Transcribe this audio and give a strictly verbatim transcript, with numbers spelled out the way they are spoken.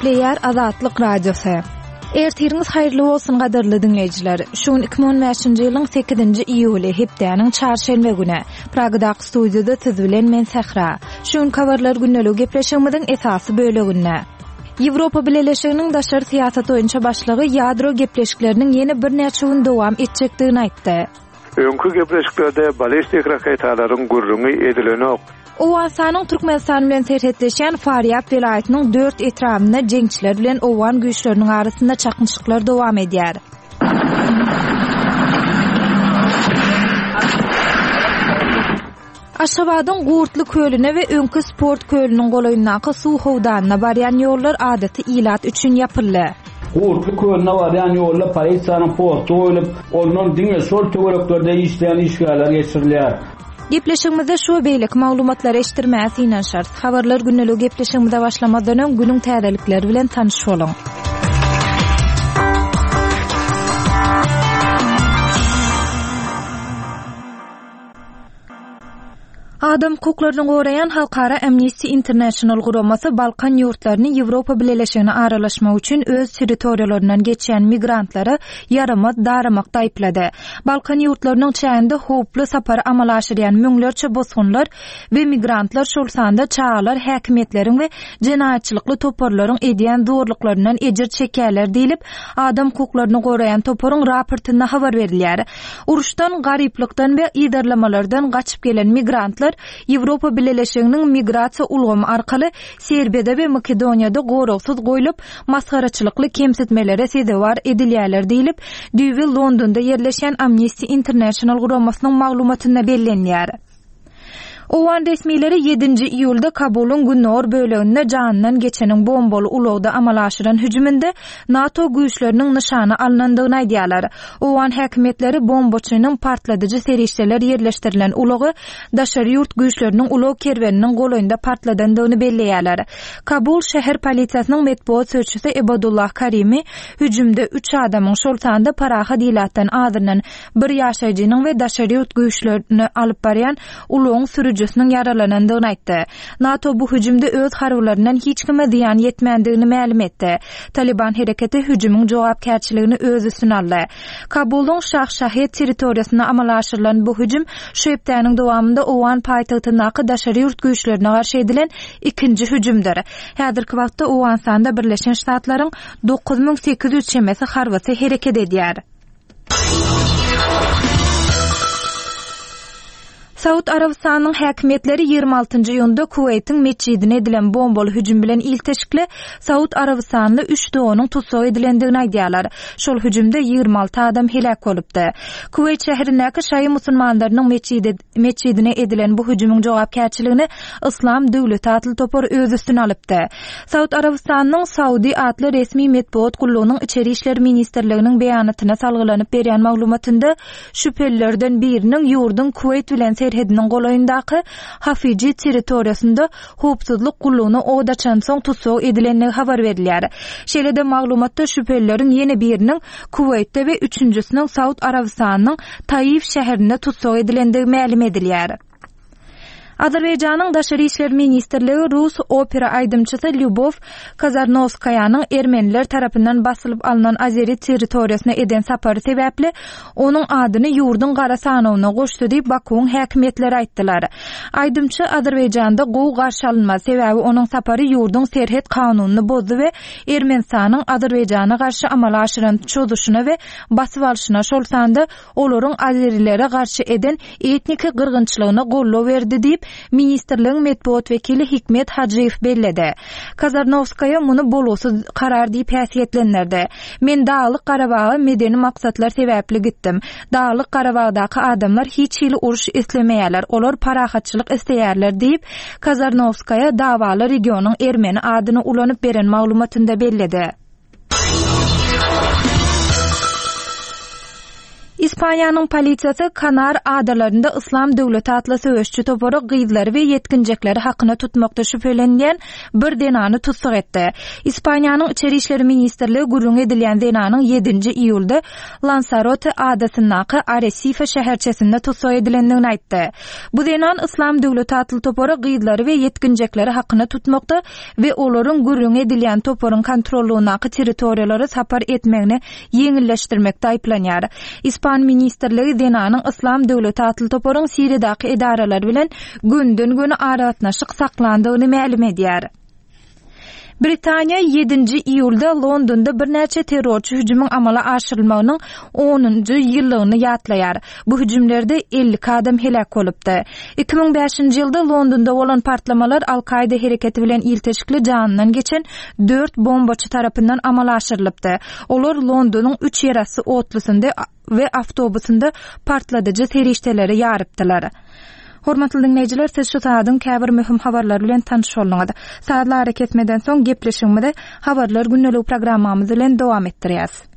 Gepleýär Azatlyk Radiosy. Ertiriňiz haýyrly bolsun gadyrly diňleýjiler. Şu gün iki müň on bäşinji ýylyň sekizinji iýuly, hepdäniň çarşenbe güni. Pragadaky studiýada siz bilen men Sähra. Şu gün habarlar gündeligi gepleşigimiziň esasy böleginde. Ýewropa Bileleşiginiň daşary syýasat boýunça başlygy ýadro gepleşikleriniň ýene birnäçe gün dowam etjekdigini aýtdy. Öňkü gepleşiklerde ballistik raketalaryň gürrüňi edilenok. Owganystanyň Türkmenistan bilen serhetleşýän Farýab welaýatynyň dört etrabynda jeňçiler bilen owgan güýçleriniň arasynda çaknyşyklar dowam edýär. Aşgabadyň Gurtly kölüne we öňki sport kölüniň golaýyndaky suw howdanyna barýan ýollar adaty ilat üçin ýapyldy. Gurtly kölüne barýan ýolda polisiýanyň posty goýlup, ondan diňe şol töwereklerde işleýän işgärler geçirilýär. Gepleşigimizde şu we beýleki maglumatlary eşitdirmäge synanyşarys. Habarlar gündeligi gepleşigimize başlamazdan öň günüň täzelikleri bilen tanyş boluň. Adam hukuklaryny goraýan Halkara Amnesty International guramasy Balkan ýurtlaryny Ýewropa Bileleşigine aralaşmak üçin öz territoriýalaryndan geçýän migrantlara ýaramaz daramakda aýyplady. Balkan ýurtlarynyň çäginde howply sapary amala aşyrýan müňlerçe bosgunlar we migrantlar, şol sanda çagalar häkimiýetleriň we jenaýatçylykly toparlaryň edýän zorluklaryndan ejir çekýärler diýlip, adam hukuklaryny goraýan toparyň raportynda habar berilýär. Uruşdan, garyplykdan we yzarlamalardan gaçyp gelen migrantlar Ýewropa Bileleşiginiň migrasiýa ulgamy arkaly Serbiýada we Makedoniýada goragsyz goýlup, masgaraçylykly kemsitmelere sezewar edilýärler diýlip, düýbi Londonda ýerleşýän Amnesty International guramasynyň maglumatynda bellenýär. Owgan resmileri ýedinji iýulda Kabulyň gündogar böleginde janyndan geçeniň bombaly ulagda amala aşyran hüjüminde NATO güýçleriniň nyşana alynandygyny aýdýarlar. Owgan häkimiýetleri bombaçynyň partladyjy serişdeler ýerleşdirilen ulagy daşary ýurt güýçleriniň ulag kerweniniň golaýynda partladandygyny belleýärler. Kabul şäher polisiýasynyň metbugat sözçüsi Ebadullah Karimi hüjümde üç adamyň, şol sanda parahat ilatdan azyndan bir ýaşaýjynyň we daşary ýurt güýçlerini alyp barýan ulagyň sürüjisiniň ýaralanandygyny aýtdy. NATO bu hüjümde öz harbylaryndan hiç kime zyýan ýetmändigini mälim etdi. Taliban hereketi hüjümiň jogapkärçiligini öz üstüne aldy. Kabulyň Şah-Şahed territoriýasynda amala aşyrylan bu hüjüm şu hepdäniň dowamynda Owgan paýtagtyndaky daşary ýurt güýçlerine garşy edilen ikinji hüjümdir. Häzirki wagtda Owganystanda Birleşen Ştatlaryň dokuz müň sekiz ýüz çemesi harbysy hereket edýär. Saud Arabystanyň häkimiýetleri ýigrimi altynjy iýunda Kuweýtiň metjidine edilen bombaly hüjüm bilen ilteşikli Saud Arabystanly üç doganyň tussag edilendigini aýdýarlar. Şol hüjümde ýigrimi alty adam heläk bolupdy. Kuweýt şäherindäki şaýy musulmanlarynyň metjidi, metjidine edilen bu hüjümiň jogapkärçiligini Yslam döwleti atly topar öz üstüne alypdy. Saud Arabystanyň Saudi atly resmi metbugat gullugynyň Içeri işler ministrliginiň beýanatyna salgylanyp berýän maglumatynda şübhelilerden biriniň ýurduň Kuweýt bilen serhediniň golaýyndaky Hafiji territoriýasynda howpsuzlyk gullugyna od açansoň tussag edilendigi habar berilýär. Şeýle-de maglumatda şübhelileriň ýene biriniň Kuweýtde we üçünjisiniň Saud Arabystanynyň Taif şäherinde tussag edilendigi mälim edilýär. Azerbaýjanyň Daşary işler ministrligi Rus opera aýdymçysy Lýubow Kazarnowskaýanyň ermeniler tarapyndan basylyp alnan Azeri territoriýasyna eden sapary sebäpli onuň adyny ýurduň gara sanawyna goşdy diýip Bakuwyň häkimiýetleri aýtdylar. Aýdymçy Azerbaýjanda gowy garşy alynmaz, sebäbi onuň sapary ýurduň serhet kanunyny bozdy we Ermenistanyň Azerbaýjana garşy amala aşyran çozuşyna we basyp alşyna, şol sanda olaryň azerilere garşy eden etniki gyrgynçylygyna goldaw berdi diýip, ministrligiň metbugat wekili Hikmet Hajyýew belledi. Kazarnowskaýa muny bolgusyz karar diýip häsiýetlendirdi. Men Daglyk Garabaga medeni maksatlar sebäpli gitdim. Daglyk Garabagdaky adamlar hiç hili uruş islemeýärler, olar parahatçylyk isleýärler diýip, Kazarnowskaýa dawaly regionyň ermeni adyny ulanyp beren maglumatynda belledi. Ispaniýanyň polisiýasy Kanar adalarynda Yslam döwleti atly söweşçi topary gyzlary we ýetginjekleri hakyna tutmakda şübhelenilýän bir zenany tussag etdi. Ispaniýanyň Içeri işler ministrligi gürrüňi edilýän zenanyň ýedinji iýulda Lansarote adasyndaky Aresife şäherçesinde tussag edilendigini aýtdy. Bu zenan Yslam döwleti atly topary gyzlary we ýetginjekleri hakyna tutmakda we olaryň gürrüňi edilýän toparyň kontrollugyndaky territoriýalara sapar etmegini ýeňilleşdirmekde aýyplanýar. Ispan ministrligi zenanyň Yslam döwleti atly toparyň Siriýadaky edaralary bilen gönden-göni aragatnaşyk saklandygyny mälim edýär. Britaniýa ýedinji iýulda Londonda birnäçe terrorçy hüjümiň amala aşyrylmagynyň onunjy ýyllygyny ýatlaýar. Bu hüjümlerde elli iki adam heläk bolupdy. Iki müň bäşinji ýylda Londonda bolan partlamalar Al-Kaýda hereketi bilen ilteşikli janyndan geçen dört bombaçy tarapyndan amala aşyrylypdy. Olar Londonyň üç ýerasty otlusynda we awtobusynda partladyjy serişdeleri ýarypdylar. Hormatly diňleýjiler, siz şu saadyň käbir möhüm habarlary bilen tanyş bolduňyz. Sazly arakesmeden soň gepleşigimizi Habarlar gündeligi programmamyz bilen dowam etdirýäs.